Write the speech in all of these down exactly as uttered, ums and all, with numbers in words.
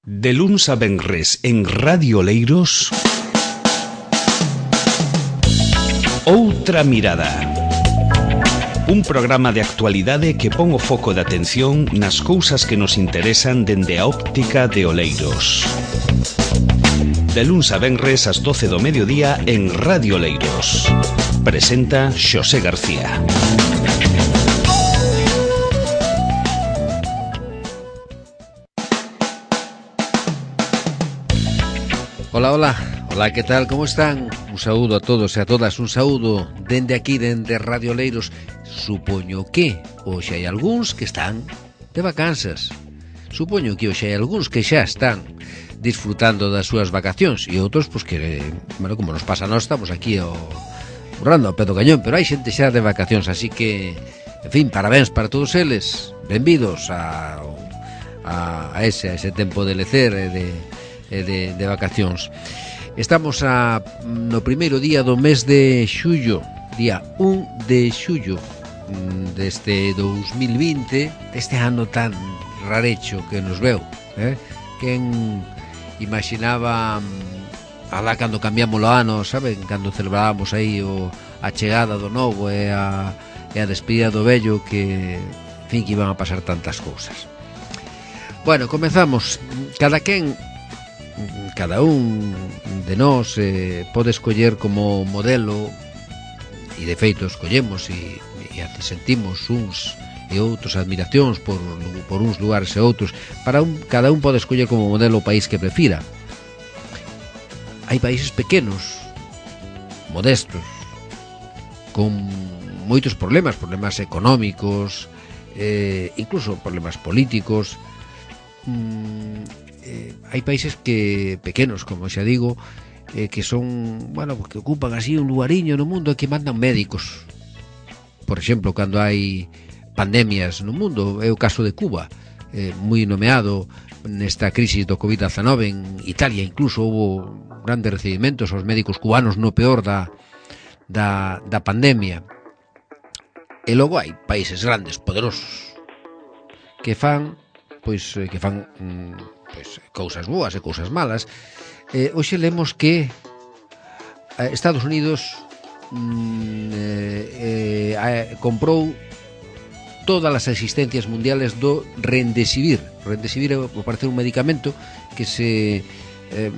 De luns a venres en Radio Oleiros, Outra Mirada. Un programa de actualidade que pon o foco de atención nas cousas que nos interesan dende a óptica de Oleiros. De luns a venres ás doce do mediodía en Radio Oleiros. Presenta Xosé García. Hola, hola, hola, ¿qué tal? ¿Cómo están? Un saúdo a todos e a todas, un saúdo dende aquí, dende Radio Oleiros. Supoño que hoxe hai algúns que están de vacanzas. Supoño que hoxe hai algúns que xa están disfrutando das súas vacacións e outros, pois que, bueno, como nos pasa a nós, estamos aquí ao, burrando ao pé do cañón, pero hai xente xa de vacacións, así que, en fin, parabéns para todos eles. Benvidos a, a, a, ese, a ese tempo de lecer e de... De, de vacacións. Estamos a, no primeiro día do mes de xullo, día un de xullo deste dous mil vinte, este ano tan rarecho que nos veu, eh? Quen imaginaba alá cando cambiamos o ano, saben, cando celebrábamos aí o, a chegada do novo e a, e a despedida do vello, que, en fin, que iban a pasar tantas cousas. Bueno, comezamos. Cada quen Cada un de nós eh, pode escoller como modelo, e de feito escollemos e, e sentimos uns e outros admiracións por, por uns lugares e outros. Para un, cada un pode escoller como modelo o país que prefira. Hai países pequenos, modestos, con moitos problemas, problemas económicos, eh, incluso problemas políticos. mm, Eh, hai países que pequenos, como xa digo, eh, que son, bueno, que ocupan así un lugariño no mundo e que mandan médicos. Por exemplo, cando hai pandemias no mundo, é o caso de Cuba, eh, moi nomeado nesta crisis do covid diecinueve. En Italia incluso houve grandes recibimentos aos médicos cubanos no peor da, da, da pandemia. E logo hai países grandes, poderosos, que fan, pois, que fan... Mm, pois, cousas boas e cousas malas. Eh, hoxe lemos que Estados Unidos mm, eh, eh, comprou todas as existencias mundiales do Remdesivir. Remdesivir é, parece, un medicamento que se eh,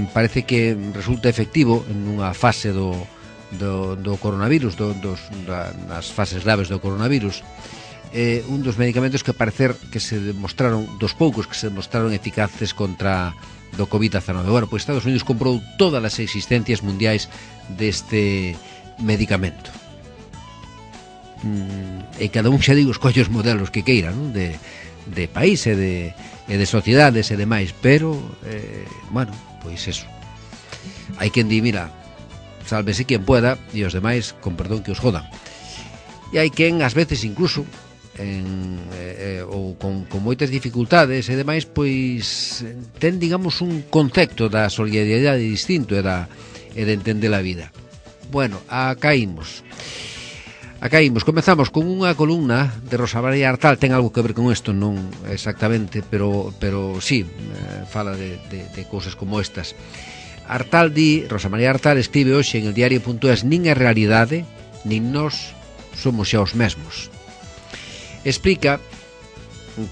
parece que resulta efectivo en unha fase do, do, do coronavirus, do, dos, da, nas fases graves do coronavirus. Eh, un dos medicamentos que parecer que se demostraron, dos poucos que se demostraron eficaces contra do covid diecinueve. Bueno, pois Estados Unidos comprou todas as existencias mundiais deste medicamento. Mm, e cada un, xa digo, escolle os modelos que queira, non? De, de país e de, e de sociedades e demais, pero, eh, bueno, pois eso. Hai quen di, mira, sálvese quen pueda, e os demais, con perdón, que os jodan. E hai quen, ás veces, incluso, En, eh, ou con, con moitas dificultades e demais, pois ten, digamos, un concepto da solidaridade distinto e, da, e de entender a vida. Bueno, acá imos acá imos, comezamos con unha columna de Rosa María Artal. Ten algo que ver con isto, non exactamente, pero, pero sí, eh, fala de, de, de cousas como estas. Artal di, Rosa María Artal escribe hoxe en el diario punto es: nin é realidade, nin nós somos xa os mesmos. Explica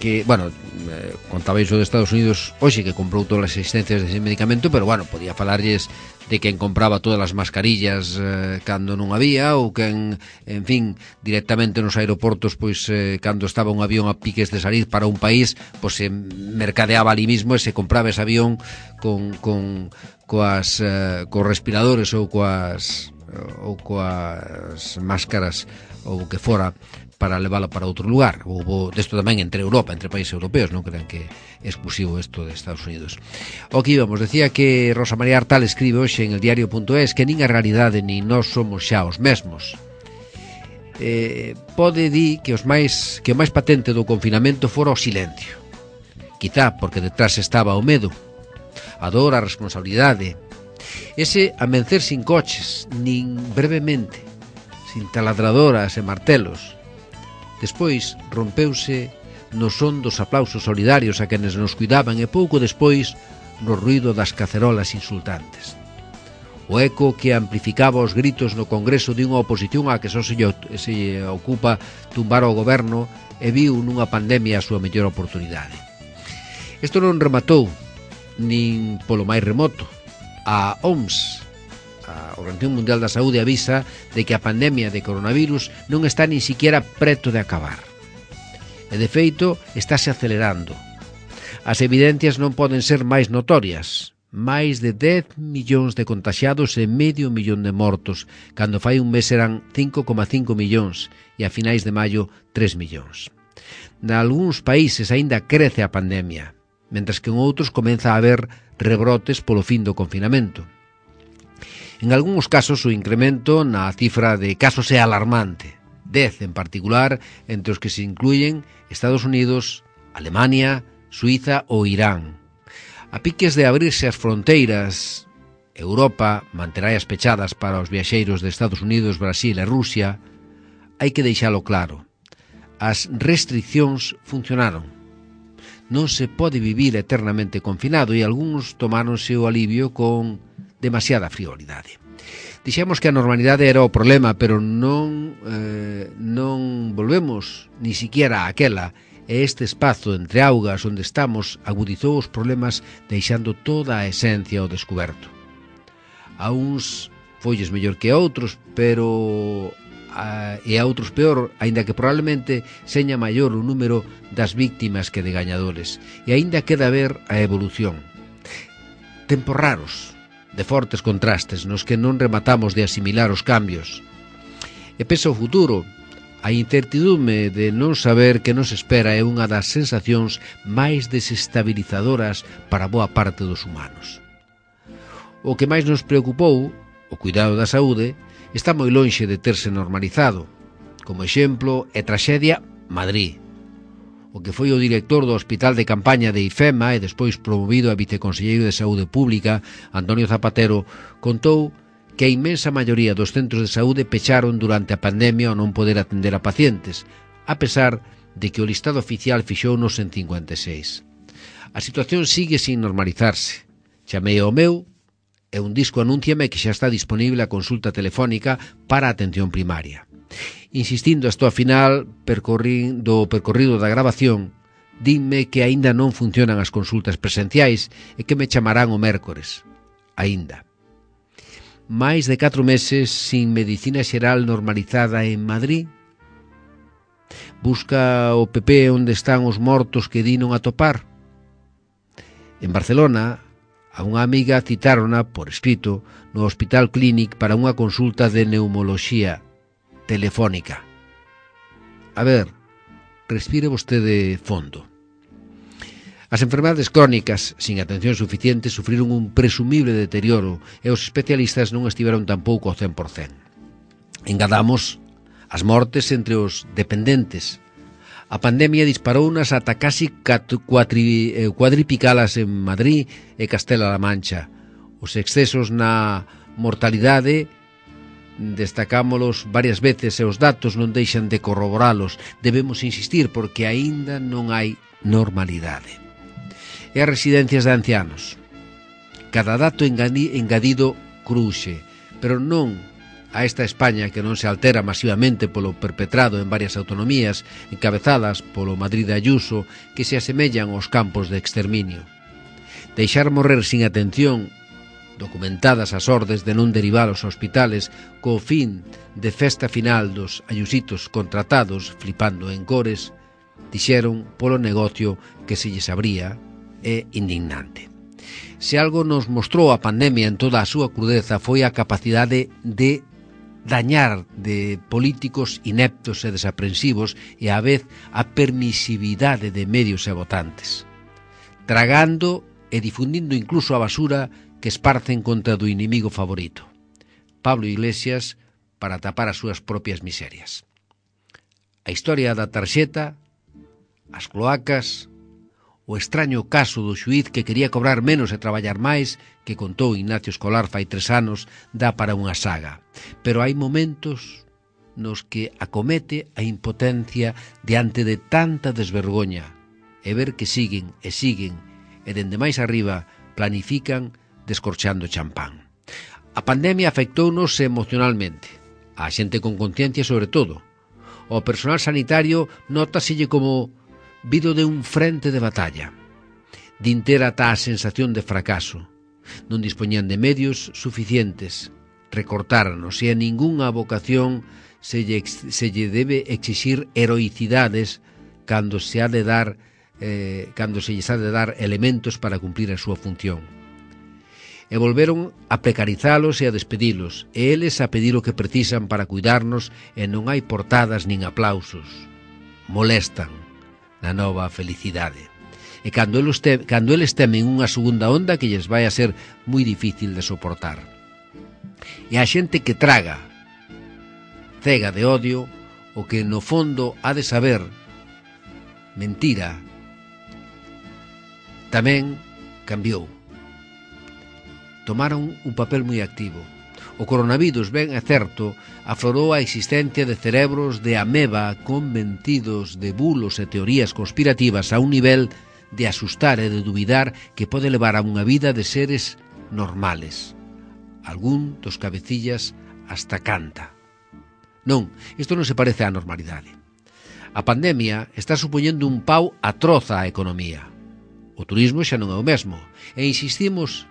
que, bueno, eh, contaba iso de Estados Unidos hoxe, que comprou todas as existencias dese medicamento, pero, bueno, podía falarlles de quen compraba todas as mascarillas eh, cando non había, ou quen, en fin, directamente nos aeroportos, pois, eh, cando estaba un avión a piques de salir para un país, pois se mercadeaba ali mismo e se compraba ese avión con, con coas, eh, coas respiradores ou coas, ou coas máscaras ou que fora, para leválo para outro lugar. Houve desto tamén entre Europa, entre países europeos, non crean que é exclusivo isto de Estados Unidos. O que íbamos, decía que Rosa María Artal escribe hoxe en el diario punto es que nin a realidade nin nós somos xa os mesmos. Eh, pode dir que os máis que o máis patente do confinamento fora o silencio. Quizá porque detrás estaba o medo, a dor, a responsabilidade, ese amencer sin coches, nin brevemente, sin taladradoras e martelos. Despois rompeuse no son dos aplausos solidarios a quenes nos cuidaban e pouco despois no ruído das cacerolas insultantes. O eco que amplificaba os gritos no Congreso de unha oposición a que só se, se ocupa tumbar o goberno e viu nunha pandemia a súa mellor oportunidade. Isto non rematou nin polo máis remoto. A O M S, a Organización Mundial da Saúde, avisa de que a pandemia de coronavirus non está nin siquiera preto de acabar. E de feito, estáse acelerando. As evidencias non poden ser máis notorias. Máis de dez millóns de contaxiados e medio millón de mortos, cando fai un mes eran cinco coma cinco millóns e a finais de maio tres millóns. Nalgúns países aínda crece a pandemia, mentres que en outros comeza a haber rebrotes polo fin do confinamento. En algúns casos o incremento na cifra de casos é alarmante, dez en particular, entre os que se incluyen Estados Unidos, Alemania, Suiza ou Irán. A piques de abrirse as fronteiras, Europa manterá as pechadas para os viaxeiros de Estados Unidos, Brasil e Rusia. Hai que deixalo claro. As restriccións funcionaron. Non se pode vivir eternamente confinado e algúns tomáronse o alivio con demasiada frivolidade. Dixemos que a normalidade era o problema, pero non, eh, non volvemos ni siquiera aquela. E este espazo entre augas onde estamos agudizou os problemas deixando toda a esencia ao descoberto. A uns folles mellor que a outros, pero a, e a outros peor, aínda que probablemente seña maior o número das víctimas que de gañadores. E aínda queda ver a evolución. Tempos raros, de fortes contrastes, nos que non rematamos de asimilar os cambios. E pensa o futuro. A incertidume de non saber que nos espera é unha das sensacións máis desestabilizadoras para boa parte dos humanos. O que máis nos preocupou, o cuidado da saúde, está moi lonxe de terse normalizado. Como exemplo, é traxedia Madrid. O que foi o director do Hospital de Campaña de IFEMA e despois promovido a viceconselleiro de Saúde Pública, Antonio Zapatero, contou que a inmensa maioría dos centros de saúde pecharon durante a pandemia ao non poder atender a pacientes, a pesar de que o listado oficial fixounos en cincuenta e seis. A situación sigue sin normalizarse. Chamei ao meu e un disco anúnciame que xa está disponible a consulta telefónica para a atención primaria. Insistindo hasta o final percorrindo, percorrido da grabación, dinme que aínda non funcionan as consultas presenciais e que me chamarán o mércores. Aínda. Máis de catro meses sin medicina xeral normalizada en Madrid. Busca o P P onde están os mortos que di non atopar. En Barcelona, a unha amiga citárona por escrito no Hospital Clínic para unha consulta de neumoloxía telefónica. A ver, respire vostede fondo. As enfermedades crónicas, sin atención suficiente, sufriron un presumible deterioro e os especialistas non estiveron tampouco ao cen por cen. Engadamos as mortes entre os dependentes. A pandemia disparounas ata casi cuadri, cuadripicalas en Madrid e Castela-La Mancha. Os excesos na mortalidade destacámolos varias veces e os datos non deixan de corroboralos. Debemos insistir porque aínda non hai normalidade. E as residencias de ancianos. Cada dato engadido cruxe, pero non a esta España que non se altera masivamente polo perpetrado en varias autonomías encabezadas polo Madrid de Ayuso que se asemellan aos campos de exterminio. Deixar morrer sin atención, documentadas as ordes de non derivar aos hospitales co fin de festa final dos ayusitos contratados flipando en cores, dixeron polo negocio que se lles abría, é indignante. Se algo nos mostrou a pandemia en toda a súa crudeza foi a capacidade de dañar de políticos ineptos e desaprensivos e á vez a permisividade de medios e votantes, tragando e difundindo incluso a basura que esparcen contra do inimigo favorito, Pablo Iglesias, para tapar as súas propias miserias. A historia da tarxeta, as cloacas, o extraño caso do xuíz que quería cobrar menos e traballar máis, que contou Ignacio Escolar fai tres anos, dá para unha saga. Pero hai momentos nos que acomete a impotencia diante de tanta desvergoña e ver que siguen e siguen e dende máis arriba planifican descorchando champán. A pandemia afectounos emocionalmente, a xente con conciencia sobre todo. O personal sanitario nótaselle como vido de un frente de batalla. Din ter ata a sensación de fracaso. Non dispoñían de medios suficientes. Recortáranos e a ningunha vocación se lle, se lle debe exixir heroicidades cando se ha de dar eh, cando se lles ha de dar elementos para cumplir a súa función. E volveron a precarizalos e a despedilos, e eles a pedir o que precisan para cuidarnos, e non hai portadas nin aplausos. Molestan na nova felicidade. E cando eles, te, cando eles temen unha segunda onda que lles vai a ser moi difícil de soportar. E a xente que traga, cega de odio, o que no fondo ha de saber mentira, tamén cambiou. Tomaron un papel moi activo. O coronavirus, ben é certo, aflorou a existencia de cerebros de ameba convencidos de bulos e teorías conspirativas a un nivel de asustar e de dubidar que pode levar a unha vida de seres normales. Algún dos cabecillas hasta canta. Non, isto non se parece á normalidade. A pandemia está supoñendo un pau atroz á economía. O turismo xa non é o mesmo, e insistimos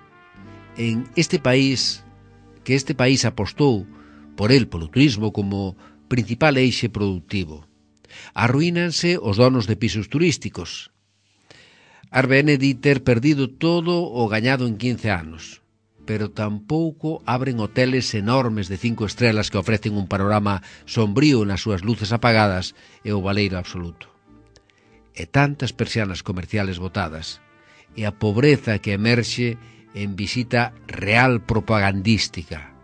en este país, que este país apostou por el, polo turismo, como principal eixe productivo. Arruínanse os donos de pisos turísticos. Airbnb di ter perdido todo o gañado en quince anos, pero tampouco abren hoteles enormes de cinco estrelas que ofrecen un panorama sombrío nas súas luces apagadas e o baleiro absoluto. E tantas persianas comerciales botadas, e a pobreza que emerxe en visita real propagandística.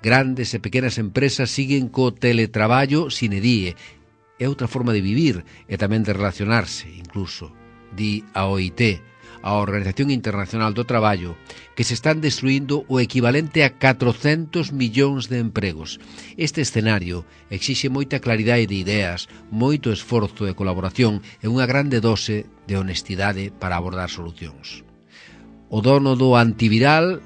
Grandes e pequenas empresas siguen co teletraballo sine die. É outra forma de vivir e tamén de relacionarse, incluso, di a O I T, a Organización Internacional do Traballo, que se están destruindo o equivalente a catrocentos millóns de empregos. Este escenario exixe moita claridade de ideas, moito esforzo e colaboración e unha grande dose de honestidade para abordar solucións. O dono do antiviral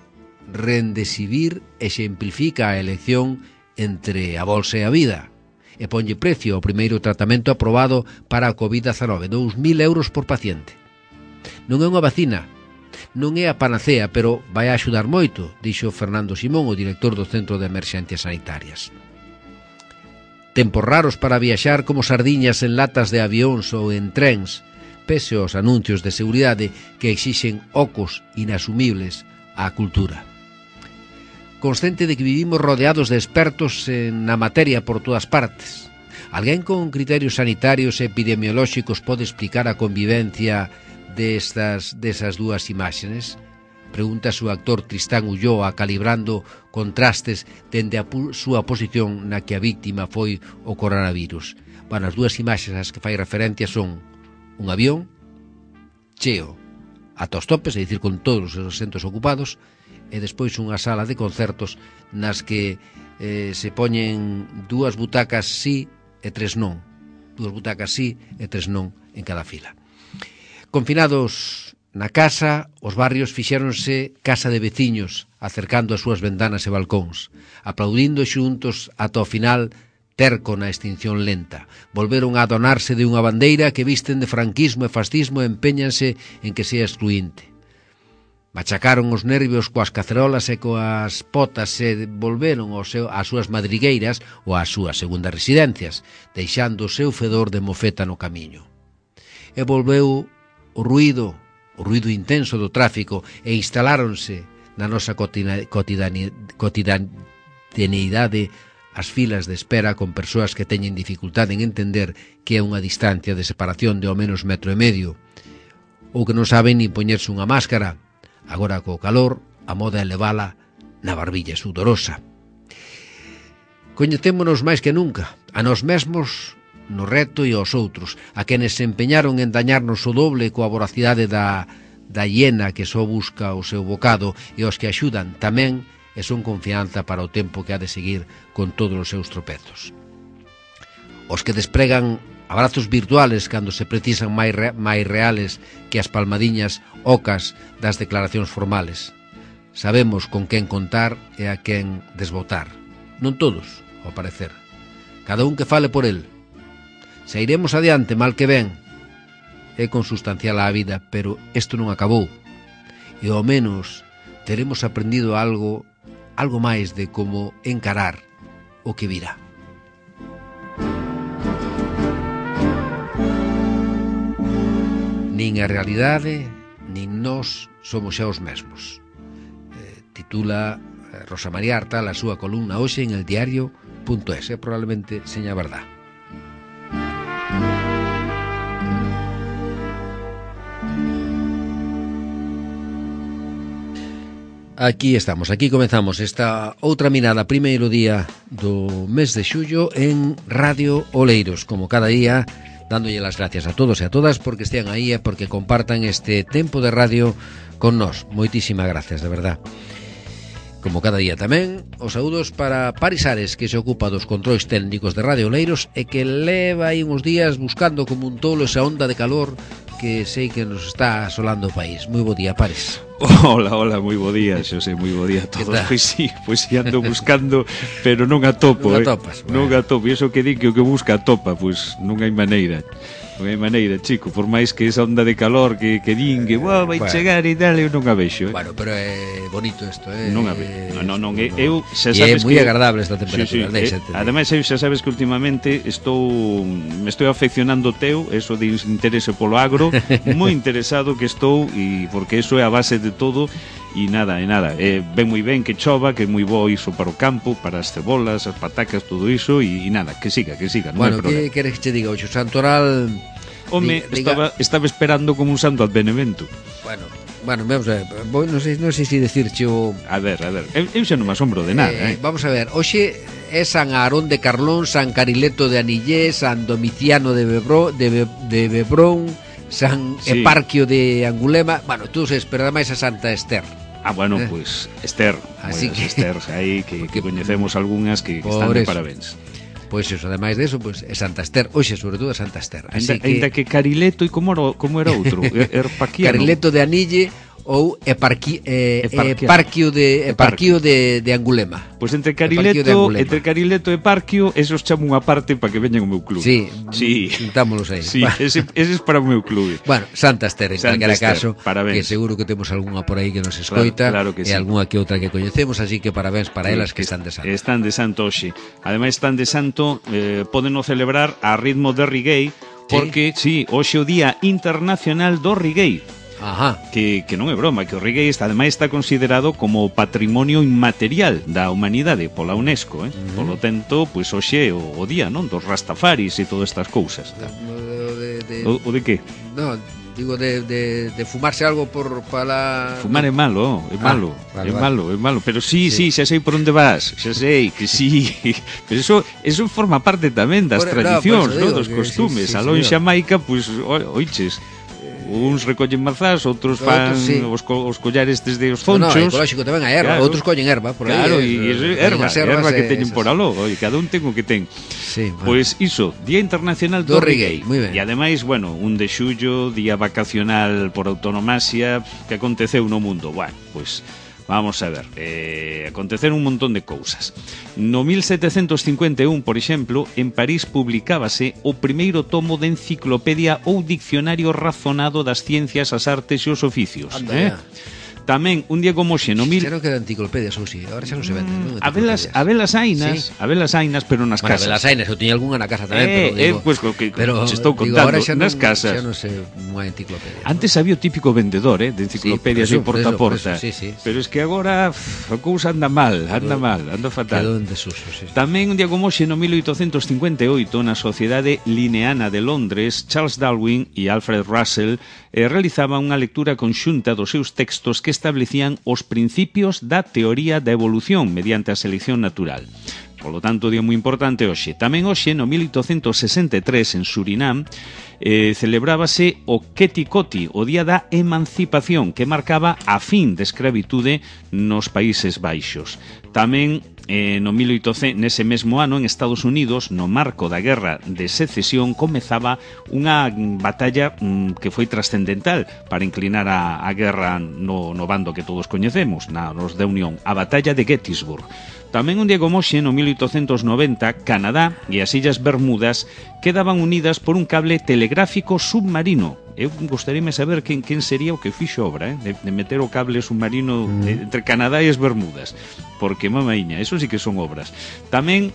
Remdesivir exemplifica a elección entre a bolsa e a vida e ponlle precio ao primeiro tratamento aprobado para a covid dezanove, dous mil euros por paciente. Non é unha vacina, non é a panacea, pero vai a axudar moito, dixo Fernando Simón, o director do Centro de Emerxencias Sanitarias. Tempos raros para viaxar como sardiñas en latas de avións ou en trens, pese aos anuncios de seguridade que exixen ocos inasumibles á cultura. Consciente de que vivimos rodeados de expertos na materia por todas partes, alguén con criterios sanitarios e epidemiolóxicos pode explicar a convivencia destas, desas dúas imaxes? Pregunta o actor Tristán Ulloa calibrando contrastes dende a súa posición na que a víctima foi o coronavirus. Bueno, as dúas imaxes ás que fai referencia son un avión cheo ata os topes, é dicir, con todos os asentos ocupados, e despois unha sala de concertos nas que eh, se poñen dúas butacas sí e tres non. Dúas butacas sí e tres non en cada fila. Confinados na casa, os barrios fixéronse casa de veciños, acercando as súas ventanas e balcóns, aplaudindo xuntos ata o final terco na extinción lenta. Volveron a adonarse de unha bandeira que visten de franquismo e fascismo e empeñanse en que sea excluinte. Machacaron os nervios coas cacerolas e coas potas e volveron ao seu, ás súas madrigueiras ou ás súas segundas residencias, deixando o seu fedor de mofeta no camiño. E volveu o ruído, o ruído intenso do tráfico, e instaláronse na nosa cotidianeidade as filas de espera con persoas que teñen dificultade en entender que é unha distancia de separación de ao menos metro e medio, ou que non saben nin poñerse unha máscara. Agora, co calor, a moda é levala na barbilla sudorosa. Coñecémonos máis que nunca, a nós mesmos no reto e aos outros, a quenes se empeñaron en dañarnos o doble coa voracidade da, da hiena que só busca o seu bocado, e os que axudan tamén e son confianza para o tempo que ha de seguir con todos os seus tropezos. os que despregan abrazos virtuales cando se precisan máis, re, máis reales que as palmadiñas ocas das declaracións formales. Sabemos con quen contar e a quen desbotar. Non todos, ao parecer. Cada un que fale por el. Se iremos adiante, mal que ben. É consustancial á vida, pero isto non acabou. E ao menos teremos aprendido algo, algo máis de como encarar o que virá. Nin a realidade, nin nós somos xa os mesmos. Eh, titula Rosa María Artal a súa columna hoxe en el diario punto es, eh, probablemente seña verdad. Aquí estamos, aquí comenzamos esta outra mirada, primeiro día do mes de xullo en Radio Oleiros, como cada día, dándolle las gracias a todos e a todas porque estean aí e porque compartan este tempo de radio con nós. Moitísimas gracias, de verdad. Como cada día tamén, os saúdos para Paris Ares, que se ocupa dos controis técnicos de Radio Oleiros e que leva aí uns días buscando como un tolo esa onda de calor que sei que nos está asolando o país. Moi bo día, Paris. Hola, hola, moi bo día, Xosé, moi bo día a todos. Pois sí, pois sí ando buscando, pero non atopo, non eh. atopas, bueno. Non atopo, e iso que di que o que busca atopa, pois non hai maneira. Non hai maneira, chico, por máis que esa onda de calor que, que din que wow, vai bueno. chegar e tal, eu non a vexo, eh. Bueno, pero é bonito isto, eh. Non a vexo. Non, non, non, no, eu xa sabes que... E é moi que... agradable esta temperatura, sí, sí, eh, ademais eu xa sabes que últimamente estou me estou afeccionando teu, eso de interese polo agro, moi interesado que estou e porque eso é a base de todo. E nada, e nada, eh, ven moi ben que chova, que é moi bo iso para o campo, para as cebolas, as patacas, todo iso, e, e nada, que siga, que siga, non bueno, hai problema. Bueno, que queres que te diga, o Santoral... Home, diga, estaba, estaba esperando como un santo advenimento. Bueno, bueno, vamos a ver, non sei, non sei se decirche o... A ver, a ver, eu, eu xa non me asombro de nada, eh, eh. Vamos a ver, hoxe é San Aarón de Carlón, San Carileto de Anillé, San Domiciano de, Bebro, de, Be, de Bebrón, San sí. Eparquio de Angulema, bueno, tú sabes, pero ademais a Santa Ester. Ah, bueno, eh. pues Esther, así pues, que Esther, aí que, que coñecemos algunhas que, que están de parabéns. Pois pues eso, ademais de eso, pues, é Santa Ester, hoxe sobre todo é Santa Ester. Así ainda, que... ainda que Carileto e como era, como era outro, Erpaquiano. Carileto de Anille ou Eparqui, eh, Eparquio de Eparquio de, de Angulema. Pois pues entre Carileto, entre Carileto e Eparquio, esos chamo unha parte para que veñan o meu clube. Sí, sí. Juntámonos aí. Sí, ese, ese es para o meu clube. Bueno, Santa Ester, en Santa calquera Ester, caso, parabéns. Que seguro que temos algunha por aí que nos escoita, claro, claro que e sí. algunha que outra que coñecemos, así que parabéns para sí, elas que están de santo. Están de santo hoxe. Ademais están de santo, eh, podeno celebrar a ritmo de reggae, porque, sí, sí hoxe o Día Internacional do Reggae. Ajá. Que, que non é broma, que o reggae está, ademais está considerado como patrimonio inmaterial da humanidade pola UNESCO, eh? Uh-huh. Polo tanto, pois pues, hoxe é o, o día, non, dos rastafaris e todas estas cousas. O de, de... O, o de que? No, digo de, de, de fumarse algo por para fumar é malo, é malo, ah, vale, é malo, vale. é malo, pero sí, sí, sí, xa sei por onde vas, xa sei que sí. Pero eso eso forma parte tamén das por, tradicións, no, no, dos costumes. Sí, sí, Aló en Xamaica, pois pues, oiches, uns recollen mazás, outros fan outros, sí. os, co, os collares desde os zonchos. No, no, ecolóxico tamén a erva, claro. Outros collen erva por claro, aí. Claro, e erva, erva que teñen por aló, e cada un ten o que ten. Sí, bueno. Pois iso, Día Internacional do, do Reggae. Muy ben. E ademais, bueno, un de xullo, día vacacional por autonomasia, que aconteceu no mundo. Bueno, pois vamos a ver, eh, aconteceron un montón de cousas. No mil setecentos cincuenta e un, por exemplo, en París publicábase o primeiro tomo de enciclopedia ou diccionario razonado das ciencias, as artes e os oficios. Anda, eh? Tamén, un día como xe, no mil... Xa non quedan enciclopedias, ou si, agora xa non se venden, non? A velas, a velas ainas, sí. a velas ainas, pero nas bueno, casas. A velas ainas, eu tiña algunha na casa tamén, eh, pero digo... Eh, pues, que, pero, se estou contando, digo, nas non, casas. Xa non sei unha enciclopedia. Antes había o típico vendedor, eh, de enciclopedias sí, de porta a porta. Sí, sí, sí. Pero es que agora a cousa anda mal, anda mal, anda fatal. Quedou en desuso, sí. Tamén un día como xe, no mil oitocentos cincuenta e oito, na Sociedade Linneana de Londres, Charles Darwin e Alfred Russell eh, realizaban unha lectura conxunta dos seus textos que establecían os principios da teoría da evolución mediante a selección natural. Polo tanto, día moi importante hoxe. Tamén hoxe, no mil oitocentos sesenta e tres, en Surinam, eh, celebrábase o Ketikoti, o Día da Emancipación, que marcaba a fin de escravitude nos Países Baixos. Tamén eh, no mil oitocentos, nese mesmo ano, en Estados Unidos, no marco da Guerra de Secesión, comezaba unha batalla mm, que foi trascendental para inclinar a, a guerra no, no bando que todos coñecemos, na nos da Unión, a batalla de Gettysburg. Tamén un día como hoxe, no mil oitocentos noventa, Canadá e as Illas Bermudas quedaban unidas por un cable telegráfico submarino. Eu gostaríame saber quen, quen sería o que fixo obra, eh? de, de meter o cable submarino mm. entre Canadá e as Bermudas, porque, mamaiña, eso sí que son obras. Tamén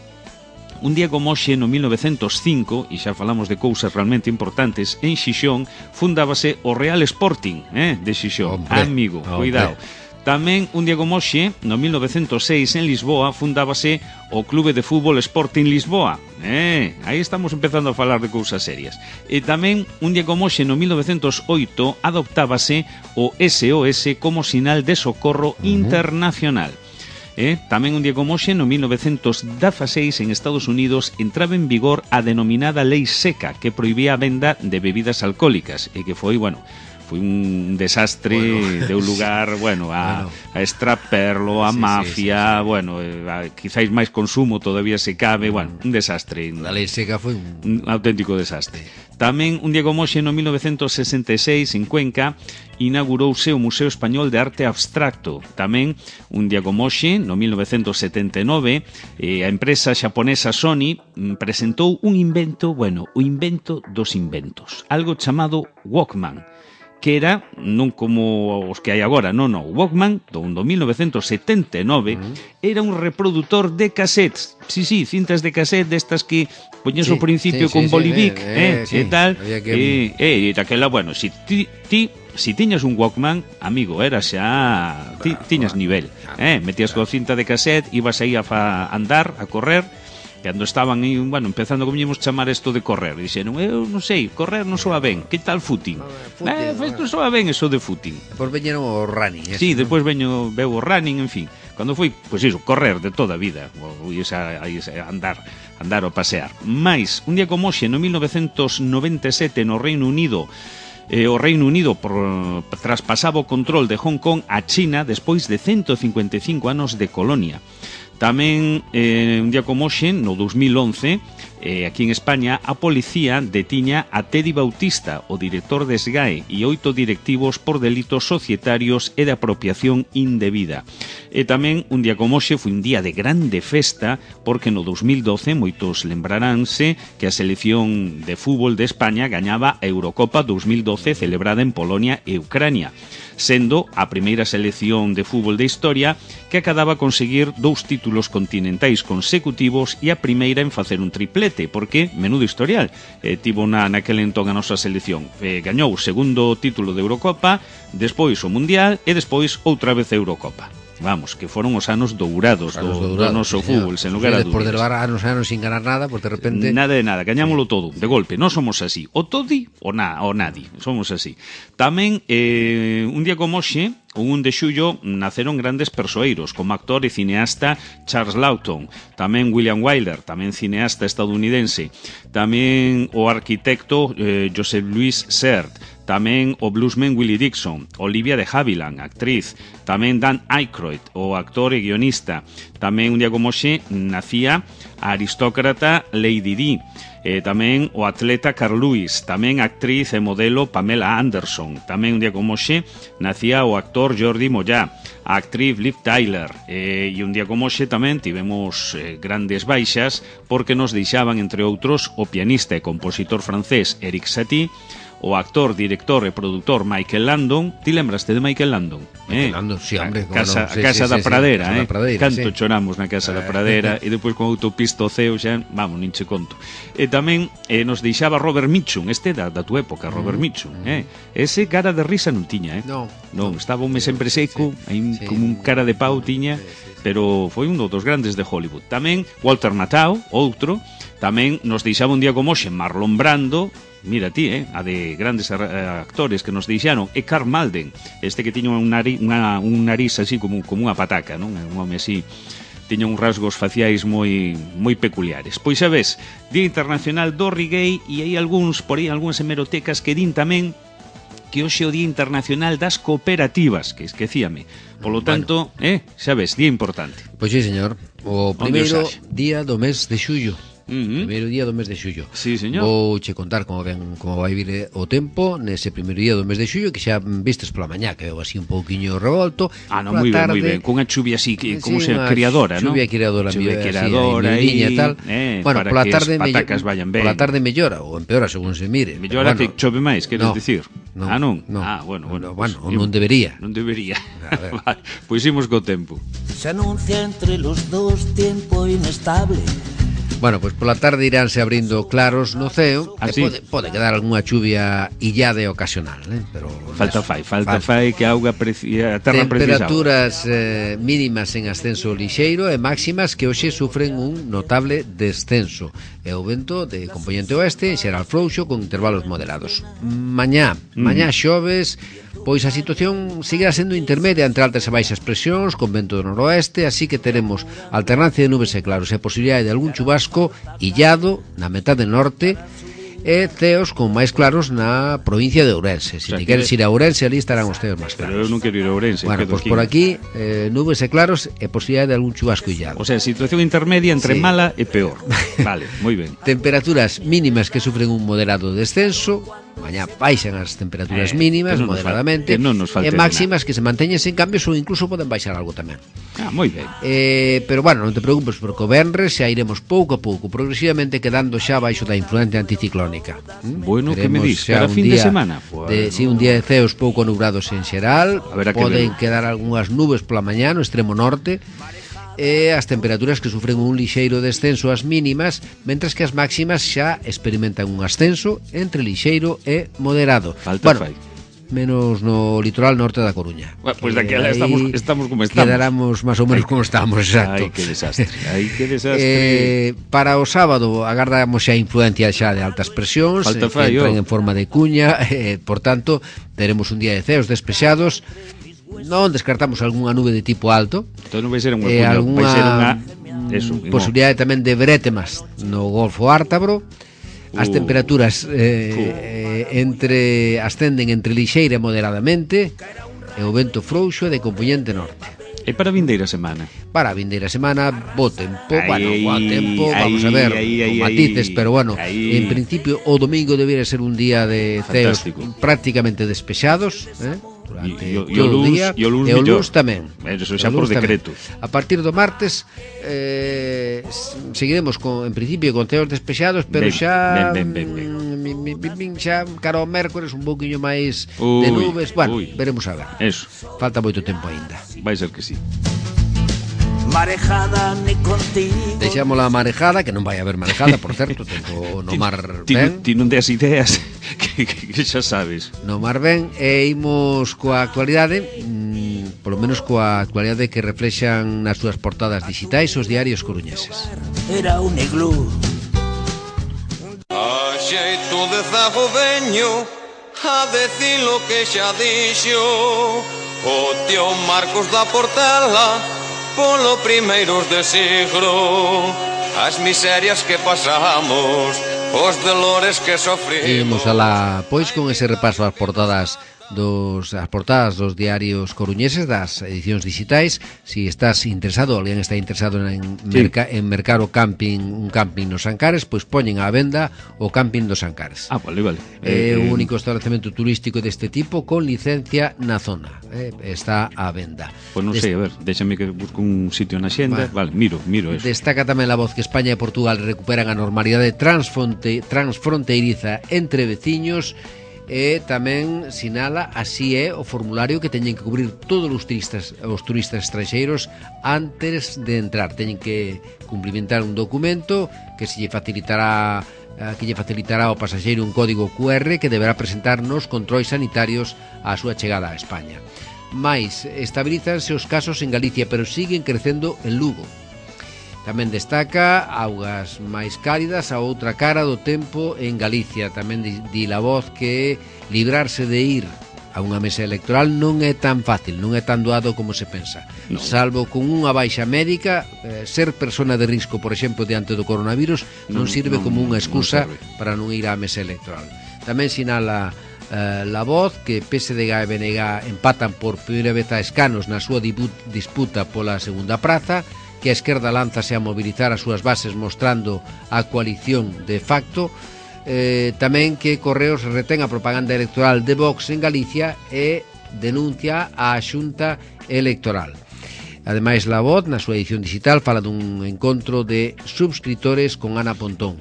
un día como hoxe, no mil novecentos cinco, e xa falamos de cousas realmente importantes, en Xixón fundábase o Real Sporting, eh, de Xixón. Hombre, amigo, hombre. Cuidado. Tamén, un día como hoxe, no mil novecentos seis, en Lisboa, fundábase o Clube de Fútbol Sporting Lisboa. Eh, aí estamos empezando a falar de cousas serias. E tamén, un día como hoxe, no mil novecentos oito, adoptábase o S O S como sinal de socorro uh-huh. internacional. Eh, tamén un día como hoxe, no mil novecentos dieciséis, en Estados Unidos, entraba en vigor a denominada Lei Seca, que prohibía a venda de bebidas alcohólicas, e que foi, bueno... foi un desastre, bueno, deu lugar, bueno, a, bueno. a extraperlo, a sí, mafia, sí, sí, sí. bueno, a, quizáis máis consumo todavía se cabe, bueno, un desastre. A lei seca foi un... un auténtico desastre. Tamén, un día como hoxe, no mil novecentos sesenta e seis, en Cuenca, inaugurouse o Museo Español de Arte Abstracto. Tamén, un día como hoxe, no mil novecentos setenta e nove, eh, a empresa xaponesa Sony presentou un invento, bueno, o invento dos inventos, algo chamado Walkman, que era, non como os que hai agora, non, non, o Walkman, do, do mil novecentos setenta e nove, uh-huh. era un reproductor de cassettes, sí, sí, cintas de cassette destas que poñes sí, ao principio sí, con sí, bolivic, sí, eh, eh, sí, e tal, que... e, e daquela, bueno, si ti, ti si tiñas un Walkman, amigo, era xa, ti, tiñas nivel, eh, metías coa cinta de cassette, ibas aí a fa andar, a correr, cando estaban aí, bueno, empezando, como íamos chamar isto de correr, dixeron, eu non sei, correr non soa ben, que tal footing? Eh, pues non soa ben eso de footing. Depois veñeron o running. Sí, ¿no? Depois veño, veo o running, en fin. Cando foi, pois pues iso, correr de toda a vida, ou esa, esa, andar, andar ou pasear. Mais, un día como hoxe, no mil novecentos noventa e sete, no Reino Unido, Eh, o Reino Unido por, traspasaba o control de Hong Kong a China despois de ciento cincuenta e cinco anos de colonia. Tamén, eh, un día como hoxe, no dos mil once, eh, aquí en España, a policía detiña a Teddy Bautista, o director de S G A E, e oito directivos por delitos societarios e de apropiación indebida. E tamén, un día como hoxe, foi un día de grande festa, porque no dos mil doce, moitos lembraránse que a selección de fútbol de España gañaba a Eurocopa dos mil doce celebrada en Polonia e Ucrania, sendo a primeira selección de fútbol de historia que acababa a conseguir dous títulos continentais consecutivos e a primeira en facer un triplete, porque, menudo historial, eh, tivo na, naquele entón a nosa selección. Eh, gañou o segundo título de Eurocopa, despois o Mundial e despois outra vez a Eurocopa. Vamos, que foron os anos dourados, anos do, dourados do noso sí, fútbol, sen lugar a dúbidas. Por de levar anos anos sin ganar nada, pues de repente... Nada de nada, gañámoslo sí. todo, de golpe, non somos así. O todi o, na, o nadi, somos así. Tamén, eh, un día como hoxe, o un de xullo, naceron grandes persoeiros, como actor e cineasta Charles Lawton, tamén William Wyler, tamén cineasta estadounidense, tamén o arquitecto eh, Joseph Louis Sert, tamén o bluesman Willie Dixon, Olivia de Havilland, actriz, tamén Dan Aykroyd, o actor e guionista, tamén un día como hoxe nacía a aristócrata Lady Di, eh, tamén o atleta Carl Lewis, tamén actriz e modelo Pamela Anderson, tamén un día como hoxe nacía o actor Jordi Mollá, a actriz Liv Tyler, eh, e un día como hoxe tamén tivemos eh, grandes baixas porque nos deixaban, entre outros, o pianista e compositor francés Eric Satie, o actor, director e produtor Michael Landon. Ti lembraste de Michael Landon? Michael eh? Landon, sí, hombre. A casa, no, sí, a casa sí, da sí, Pradera, sí, eh? Pradeira, Canto sí. choramos na casa eh. da Pradera e depois con autopista o ceo xa, vamos, nin che conto. E tamén eh, nos deixaba Robert Mitchum, este da, da tua época, Robert mm, Mitchum, mm. eh? Ese cara de risa non tiña, eh? No. Non, estaba un mes sempre seco, sí, aí sí, como un cara de pau tiña, sí, sí, sí. Pero foi un dos grandes de Hollywood. Tamén Walter Matthau, outro, tamén nos deixaba un día como hoxe Marlon Brando. Mira ti, eh, a de grandes uh, actores que nos deixaron, e Karl Malden, este que tiña un nariz, una, un nariz así como, como unha pataca, non? Un home así, tiña uns rasgos faciais moi moi peculiares. Pois xa ves, Día Internacional do Reggae, e hai algúns, por aí, algúns hemerotecas que din tamén que hoxe é o Día Internacional das Cooperativas, que esquecíame. Polo tanto, bueno. eh, xa ves, día importante. Pois sí, señor. O primeiro día do mes de xullo. Uh-huh. Primeiro día do mes de xullo. Sí, señor. Vou che contar como ven como vai vir o tempo nese primeiro día do mes de xullo, que xa vistes pola mañá, que veo así un pouquiño revolto. Ah, non, moi ben, moi ben, cunha chuvia así, que, como sí, se criadora, non? Chuvia criadora, chuvia criadora e tal. Eh, bueno, para pola que tarde as patacas vayan ben. Pola tarde mellora ou empeora según se mire. Mellora bueno, que chove máis, queres no, dicir? No, ah, non? No, ah, bueno, bueno. No, bueno, pues, non debería. Non debería. Vale, pois imos co tempo. Se anuncia entre los dos tiempo inestable. Bueno, pois pola tarde iránse abrindo claros no ceo. Ah, e sí? pode, pode quedar algunha chuvia illada e ocasional, eh? Pero falta eso, fai, falta fai que a auga precia, a terra precisa. Temperaturas eh, mínimas en ascenso lixeiro e máximas que hoxe sufren un notable descenso. E o vento de componente oeste será frouxo con intervalos moderados. Mañá, mm. mañá xoves, pois a situación seguirá sendo intermedia entre altas e baixas presións con vento do noroeste, así que teremos alternancia de nubes e claros e posibilidade de algún chubasco illado na metade norte e ceos con máis claros na provincia de Ourense. Se o sea, te queres ir a Ourense, ali estarán os ceos máis claros. Pero eu non quero ir a Ourense. Bueno, pois pues por aquí eh, nubes e claros e posibilidade de algún chubasco illado. O sea, situación intermedia entre sí. mala e peor. Vale, moi ben. Temperaturas mínimas que sufren un moderado descenso. Mañá baixan as temperaturas eh, mínimas no moderadamente fal, no e máximas que se manteñen sen cambios ou incluso poden baixar algo tamén. Ah, moi ben. Eh, pero bueno, non te preocupes porque o venres xa iremos pouco a pouco, progresivamente quedando xa baixo da influencia anticiclónica. ¿Mm? Bueno, que me dis? Para fin de semana? Pues, de, si, un día de ceos pouco nubrados en xeral, poden que quedar algunhas nubes pola mañá no extremo norte, e as temperaturas que sufren un lixeiro descenso as mínimas, mentras que as máximas xa experimentan un ascenso entre lixeiro e moderado. Falta bueno, fai. Menos no litoral norte da Coruña. Bueno, pues de aquí estamos, estamos como estamos. Quedaramos máis ou menos como estamos, exacto. Ai, que desastre. Ai, que desastre. Eh, para o sábado agardamos xa influencia xa de altas presións, Falta eh, fai, que entran oh. en forma de cuña, eh, por tanto, teremos un día de ceos despexados. Non descartamos algunha nube de tipo alto. Entón non vai ser unha eh, cuña, alguna vai ser unha eso, posibilidade tamén de brétemas no Golfo Ártabro. As uh, temperaturas eh, uh. eh, entre ascenden entre lixeira e moderadamente e o vento frouxo de componente norte. E para a vindeira semana? Para a vindeira semana, bo tempo, ay, bueno, bo tempo, ay, vamos a ver, ay, con ay, matices, ay, pero bueno, ay. en principio o domingo debería ser un día de ceos prácticamente despexados, eh? Durante e, e, todo o día, e o luns, e o luns tamén. Eso xa por decreto. Tamén. A partir do martes eh, seguiremos con, en principio con ceos despexados, pero ben, xa ben, ben, ben, ben. xa cara ao mércores un pouquiño máis uy, de nubes, bueno, uy. veremos a ver. Eso. Falta moito tempo aínda. Vai ser que sí. Marejada ni contigo. Deixamos a marejada, que non vai haber marejada, por certo, tempo no mar ben. Ti non des ideas que, que, que xa sabes. No mar ben, e imos coa actualidade, mmm, polo menos coa actualidade que reflexan nas súas portadas digitais os diarios coruñeses. Era un iglú. A xeito de zago veño a decir lo que xa dixo o tío Marcos da Portela polo primeiros de siglo, as miserias que pasamos, os dolores que sofrimos. Imos alá, pois, con ese repaso ás portadas dos as portadas dos diarios coruñeses, das edicións digitais. Si estás interesado, alguén está interesado en, merca, sí. en mercar o camping, un camping nos Ancares, pois poñen á venda o camping dos Ancares. Ah, vale, vale. É eh, o único establecemento turístico deste tipo con licencia na zona. Eh, está á venda. Pois non sei, a ver, déxame que busco un sitio na xenda. Vale, vale, miro, miro eso. Destaca tamén a voz que España e Portugal recuperan a normalidade transfronte, transfronteiriza entre veciños. E tamén sinala así é o formulario que teñen que cubrir todos os turistas os turistas estranxeiros antes de entrar. Teñen que cumplimentar un documento que se lle facilitará que lle facilitará ao pasaxeiro un código cu erre que deberá presentar nos controis sanitarios á súa chegada a España. Mais estabilízanse os casos en Galicia, pero siguen crecendo en Lugo. Tamén destaca augas máis cálidas a outra cara do tempo en Galicia. Tamén di la voz que librarse de ir a unha mesa electoral non é tan fácil, non é tan doado como se pensa. No. Salvo con unha baixa médica, eh, ser persona de risco, por exemplo, diante do coronavirus, non, non sirve non, como unha excusa non para non ir á mesa electoral. Tamén sinala uh, La Voz, que P S D G e B N G empatan por primeira vez a escanos na súa disputa pola segunda praza, que a esquerda lánzase a mobilizar as súas bases mostrando a coalición de facto, eh, tamén que Correos retén a propaganda electoral de Vox en Galicia e denuncia a Xunta Electoral. Ademais, La Voz, na súa edición digital, fala dun encontro de subscritores con Ana Pontón.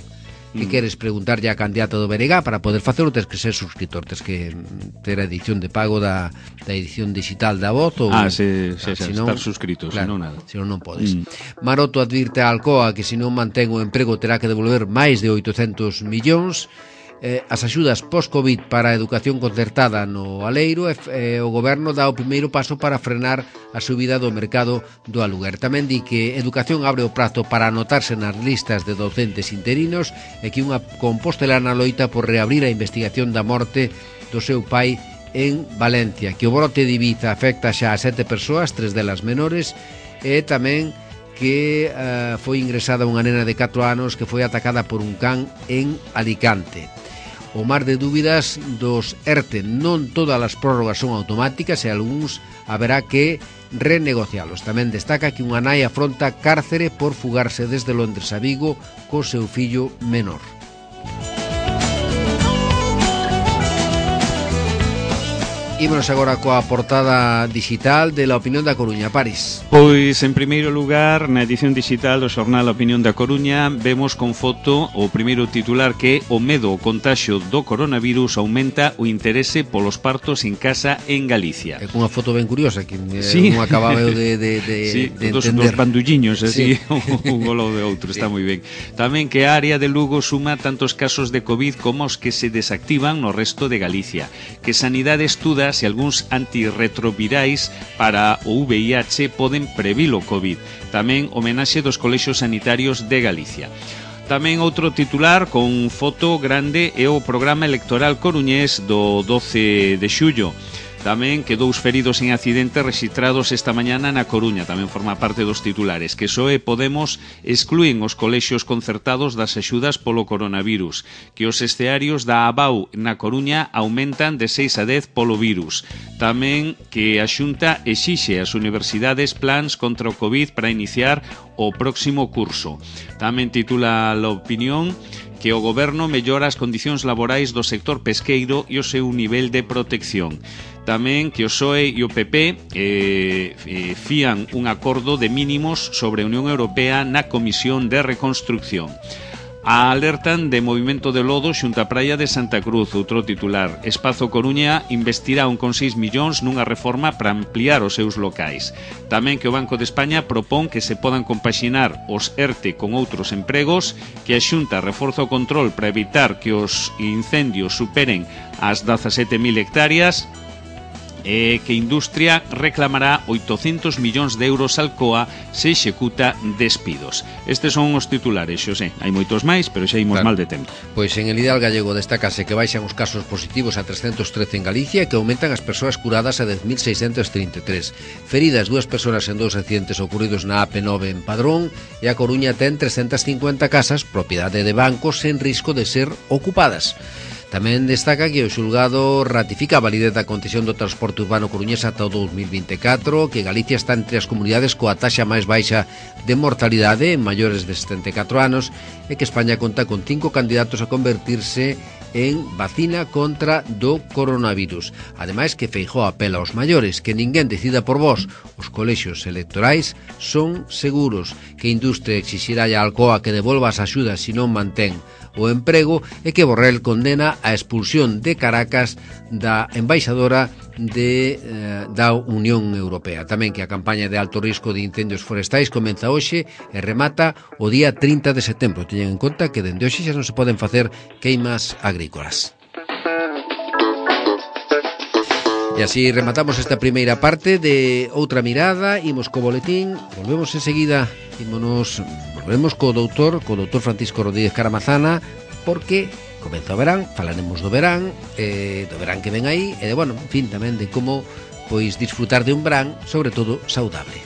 Que mm. queres preguntarlle a candidata do B N G para poder facelo, tens que ser subscritor, tens que ter a edición de pago da, da edición digital da Voz ou, ah, se, se, se, se non, estar suscrito, claro, senón nada. senón non podes. mm. Maroto advirte a Alcoa que se non mantén o emprego terá que devolver máis de oitocentos millóns. Eh, as axudas post-Covid para a educación concertada no Aleiro, e eh, o goberno dá o primeiro paso para frenar a subida do mercado do aluguer. Tamén di que Educación abre o prazo para anotarse nas listas de docentes interinos e que unha compostelana loita por reabrir a investigación da morte do seu pai en Valencia, que o brote de Ibiza afecta xa a sete persoas, tres delas menores, e tamén que uh, foi ingresada unha nena de catro anos que foi atacada por un can en Alicante. O mar de dúbidas dos ERTE. Non todas as prórrogas son automáticas e algúns haberá que renegocialos. Tamén destaca que unha nai afronta cárcere por fugarse desde Londres a Vigo co seu fillo menor. Ímonos agora coa portada digital de La Opinión da Coruña. París. Pois, en primeiro lugar, na edición digital do xornal A Opinión da Coruña, vemos con foto o primeiro titular que o medo ao contaxio do coronavirus aumenta o interese polos partos en casa en Galicia. É cunha foto ben curiosa que sí. non acababa eu de, de, de, sí, de dos, entender. Dos bandulliños, así, sí. un golo de outro, sí. Está moi ben. Tamén que a área de Lugo suma tantos casos de COVID como os que se desactivan no resto de Galicia. Que Sanidade estuda se algúns antirretrovirais para o V I H poden previr o COVID. Tamén homenaxe dos colexios sanitarios de Galicia. Tamén outro titular con foto grande é o programa electoral coruñés do doce de xullo. Tamén que dous feridos en accidentes rexistrados esta mañana na Coruña, tamén forma parte dos titulares, que P S O E e Podemos exclúen os colexios concertados das axudas polo coronavirus, que os escearios da ABAU na Coruña aumentan de seis a dez polo virus, tamén que a Xunta exixe ás universidades plans contra o COVID para iniciar o próximo curso. Tamén titula La Opinión que o goberno mellora as condicións laborais do sector pesqueiro e o seu nivel de protección. Tamén que o P S O E e o P P eh, eh, fían un acordo de mínimos sobre a Unión Europea na Comisión de Reconstrucción. A alertan de movimento de lodo xunto á praia de Santa Cruz, outro titular. Espazo Coruña investirá un coma seis millóns nunha reforma para ampliar os seus locais. Tamén que o Banco de España propón que se podan compaxinar os ERTE con outros empregos, que a Xunta reforza o control para evitar que os incendios superen as dezasete mil hectáreas, e que Industria reclamará oitocentos millóns de euros Alcoa se executa despidos. Estes son os titulares, Xosé. Hai moitos máis, pero xa imos claro. mal de tempo. Pois en el Ideal Gallego destácase que baixan os casos positivos a trescentos trece en Galicia e que aumentan as persoas curadas a dez mil seiscentos trinta e tres. Feridas dúas persoas en dous accidentes ocurridos na A P nove en Padrón, e a Coruña ten trescentas cincuenta casas, propiedade de bancos, en risco de ser ocupadas. Tamén destaca que o xulgado ratifica a validez da concesión do transporte urbano coruñés ata o dous mil vinte e catro, que Galicia está entre as comunidades coa taxa máis baixa de mortalidade en maiores de setenta e catro anos e que España conta con cinco candidatos a convertirse en vacina contra do coronavirus. Ademais que Feijóo apela aos maiores que ninguén decida por vós. Os colexios electorais son seguros, que Industria exixirá a Alcoa que devolva as axudas se non mantén o emprego e que Borrell condena a expulsión de Caracas da embaixadora de, eh, da Unión Europea. Tamén que a campaña de alto risco de incendios forestais comeza hoxe e remata o día trinta de setembro. Teñen en conta que dende hoxe xa non se poden facer queimas agrícolas. E así rematamos esta primeira parte de Outra Mirada. Imos co boletín, volvemos enseguida, ímonos, volvemos co doutor, co doutor Francisco Rodríguez Caramazana, porque comeza o verán, falaremos do verán, eh, do verán que ven aí, e de, bueno, en fin, tamén de como pois disfrutar de un verán, sobre todo, saudable.